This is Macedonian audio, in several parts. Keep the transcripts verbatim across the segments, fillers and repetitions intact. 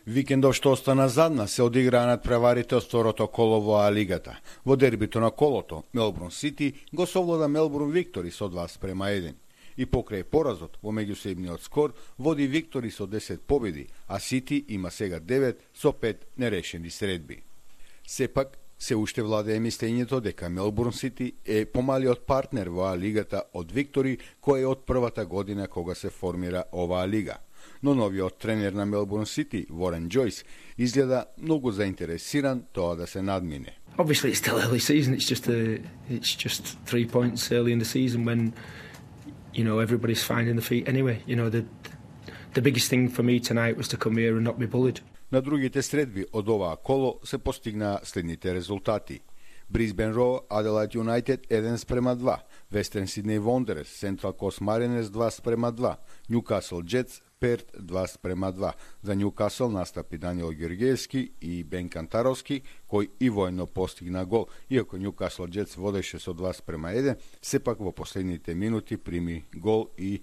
Викендов што остана задна се одиграа надпреварите од второто коло во А-лигата. Во дербито на колото, Мелбурн Сити го совлада Мелбурн Виктори со два спрема еден. И покрај поразот во меѓусебниот скор води Виктори со десет победи, а Сити има сега девет со пет нерешени средби. Сепак, се уште владее мислењето дека Мелбурн Сити е помалиот партнер во А-лигата од Виктори, кој е од првата година кога се формира оваа лига. Но новиот тренер на Мелбурн Сити, Ворен Джойс, изгледа многу заинтересиран тоа да се надмине. Obviously it's still early season. It's just a, it's just three points early in the season when, you know, everybody's finding the feet anyway. You know, the the biggest thing for me tonight was to come here and not be bullied. На другите средби од оваа коло се постигнаа следните резултати. Брисбен Роу, Аделаид Юнайтед еден спрема два, Вестерн Сиднеј Вондерерс, Сентрал Кост Маринерс два спрема два, Њукасл Джетс, Перт два спрема два. За Њукасл настапи Даниел Георгиевски и Бен Кантаровски, кој и војно постигна гол. Иако Њукасл Джетс водеше со два спрема еден, сепак во последните минути прими гол и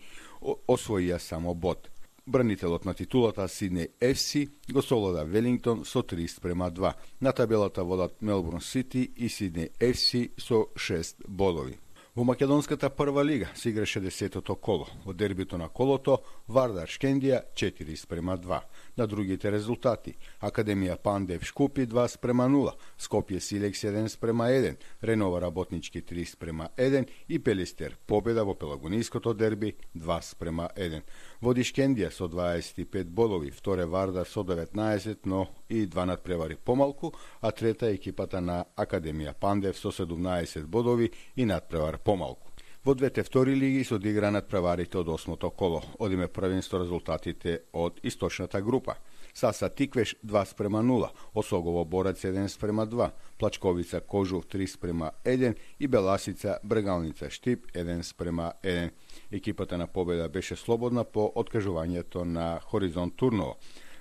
освоија само бод. Бранителот на титулата Сиднеј еф си го совлада Велингтон со три спрема два. На табелата водат Мелбурн Сити и Сиднеј еф си со шест бодови. Во македонската прва лига се играше десетото коло. Во дербито на колото Вардар Шкендија четири спрема два. На другите резултати Академија Пандев Шкупи два спрема нула, Скопје Силекс еден спрема еден, Ренова Работнички три спрема еден и Пелистер победа во пелагониското дерби два спрема еден. Води Шкендија со дваесет и пет бодови, вторе Вардар со деветнаесет, но и два надпревари помалку, а трета е екипата на Академија Пандев со седумнаесет бодови и надпревар помалку. Во двете втори лиги се одигра надпреварите од осмото коло. Одиме првенство резултатите од источната група. Саса Тиквеш два спрема нула, Осогово Борец еден спрема два, Плачковица Кожув три спрема еден и Беласица Брегалница Штип еден спрема еден. Екипата на победа беше слободна по откажувањето на Хоризонт Турново.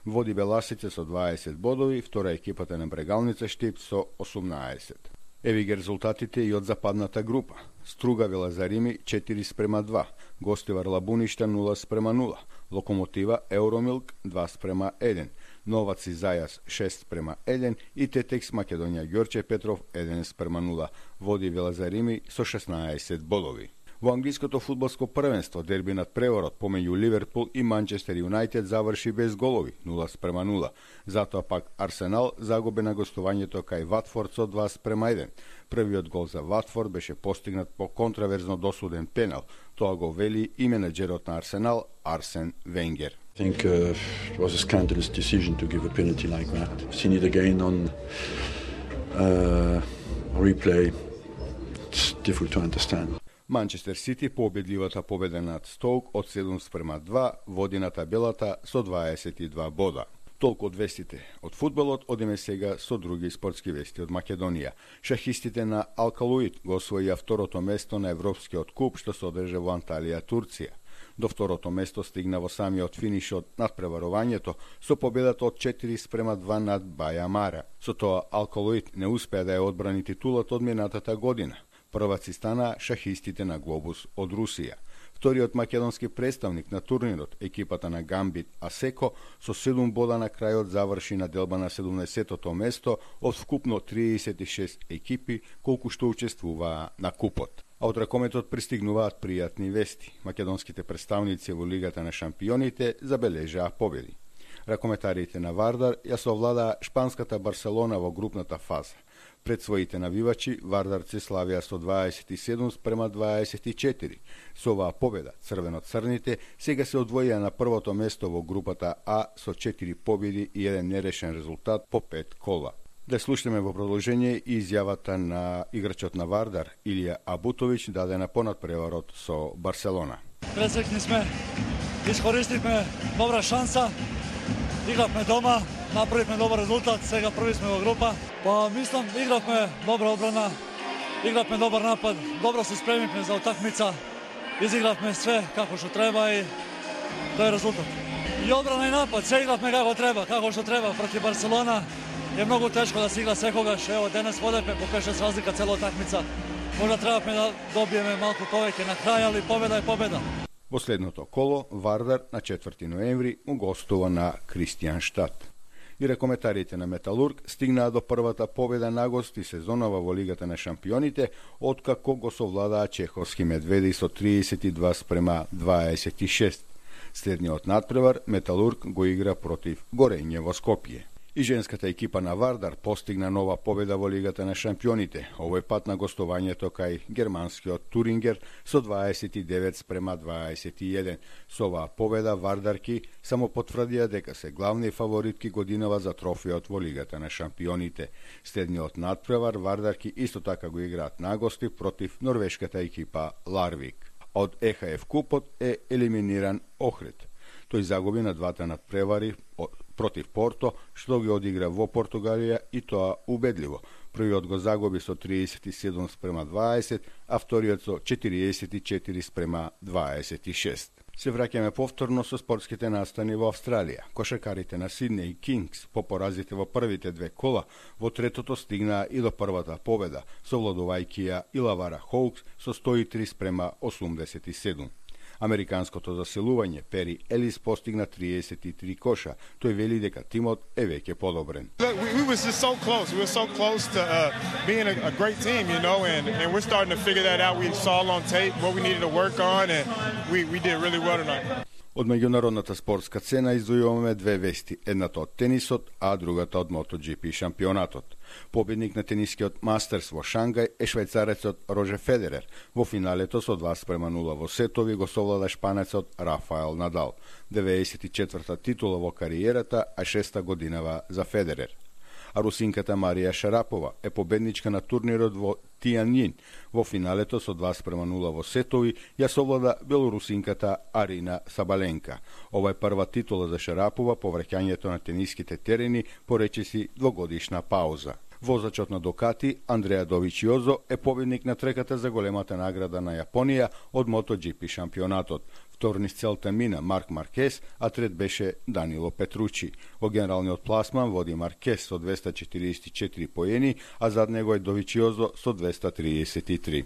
Води Беласица со дваесет бодови, втора екипата на Брегалница Штип со осумнаесет. Еви ги резултатите и од западната група. Струга Велазарими четири спрема два, Гостивар Лабуништа нула спрема нула, Локомотива Евромилк два спрема еден, Новац и Зајас шест спрема еден и Тетекс Македонија Ѓорче Петров еден спрема нула. Води Велазарими со шеснаесет бодови. Во англиското фудбалско првенство дерби над преворот помеѓу Ливерпул и Манчестер Юнайтед заврши без голови, нула спрема нула. Затоа пак Арсенал загуби на гостувањето кај Ватфорд со два спрема еден. Првиот гол за Ватфорд беше постигнат по контраверзно досуден пенал. Тоа го вели и менеджерот на Арсенал Арсен Венгер. I think uh, it was a scandalous decision to give a penalty like that. I've seen it again on uh, replay. It's difficult to understand. Манчестер Сити победливата победа над Стоук од седум спрема два води на табелата со дваесет и два бода. Толку од вестите од фудбалот, одиме сега со други спортски вести од Македонија. Шахистите на Алкалуит го освоија второто место на Европскиот куп што се одржа во Анталија, Турција. До второто место стигна во самиот финиш од надпреварувањето со победата од четири спрема два над Баја Мара. Со тоа Алкалуит не успеа да ја одбрани титулата од минатата година. Прваци стана шахистите на Глобус од Русија. Вториот македонски представник на турнирот, екипата на Гамбит Асеко, со седум бода на крајот заврши на делба на седумнаесеттото место од вкупно триесет и шест екипи колку што учествуваа на купот. А од ракометот пристигнуваат пријатни вести. Македонските представници во Лигата на шампионите забележаа победи. Ракометарите на Вардар ја совладаа шпанската Барселона во групната фаза. Пред своите навивачи, вардарци славија со дваесет и седум спрема дваесет и четири. Со оваа победа, црвено-црните сега се одвоија на првото место во групата А со четири победи и еден нерешен резултат по пет кола. Да слушаме во продолжение и изјавата на играчот на Вардар, Илија Абутовиќ, дадена по надпреварот со Барселона. Пресекни сме, искористивме добра шанса, игравме дома, направивме добар резултат, сега први сме во група. Па мислам, игравме добра одбрана, игравме добар напад, добро се спремивме за утакмица, изигравме све како што треба и тоа е резултат. И одбрана и напад, се игравме како треба, како што треба против Барселона. Е многу тешко да се игра секогаш, ево денес водевме по пет-шест разлика цела утакмица. Можда требавме да добиеме малку повеќе на крај, али победа е победа. Во следното коло, Вардар на четврти ноември му гостува на Кристијанштад. И ракометарите на Металург стигнаа до првата победа на гости сезонова во Лигата на шампионите, откако го совладаа чеховски медведи со триесет и два спрема дваесет и шест. Следниот надпревар Металург го игра против Горење во Скопје. И женската екипа на Вардар постигна нова победа во Лигата на шампионите, овој пат на гостувањето кај германскиот Турингер со дваесет и девет спрема дваесет и еден. Со оваа победа Вардарки само потврдија дека се главни фаворитки годинава за трофеот во Лигата на шампионите. Следниот надпревар Вардарки исто така го играат на гости против норвешката екипа Ларвик. Од Е Ха Еф купот е елиминиран Охрид. Тој загуби на двата надпревари против Порто, што ги одигра во Португалија и тоа убедливо. Првиот го загуби со триесет и седум спрема дваесет, а вториот со четириесет и четири спрема дваесет и шест. Се враќаме повторно со спортските настани во Австралија. Кошаркарите на Сиднеј Кингс по поразите во првите две кола во третото стигнаа и до првата победа, совладувајќи ја Илавара Хоукс со сто и три спрема осумдесет и седум. Американското засилување Пери Елис постигна триесет и три коша. Тој вели дека тимот е веќе подобрен. Look, we, we was just so close. We were so close to uh, being a, a great team, you know, and, and we're starting to figure that out. We saw on tape what we needed to work on, and we, we did really well tonight. Од меѓународната спортска цена издвојуваме две вести, едната од тенисот, а другата од MotoGP шампионатот. Победник на тенискиот Мастерс во Шангај е швајцарецот Рожер Федерер. Во финалето со два спрема нула во сетови го совлада шпанецот Рафаел Надал. деветдесет и четврта титула во кариерата, а шеста годинава за Федерер. А русинката Марија Шарапова е победничка на турнирот во Тијанјин. Во финалето со два спрема нула во сетови ја совлада белорусинката Арина Сабаленка. Ова е прва титула за Шарапова по враќањето на тениските терени по речиси двогодишна пауза. Возачот на Дукати, Андреа Довичиозо, е победник на трката за големата награда на Јапонија од MotoGP шампионатот. Втор низ целта мина Марк Маркес, а трет беше Данило Петручи. Во генералниот пласман води Маркес со двеста четириесет и четири поени, а зад него е Довичиозо со двеста триесет и три.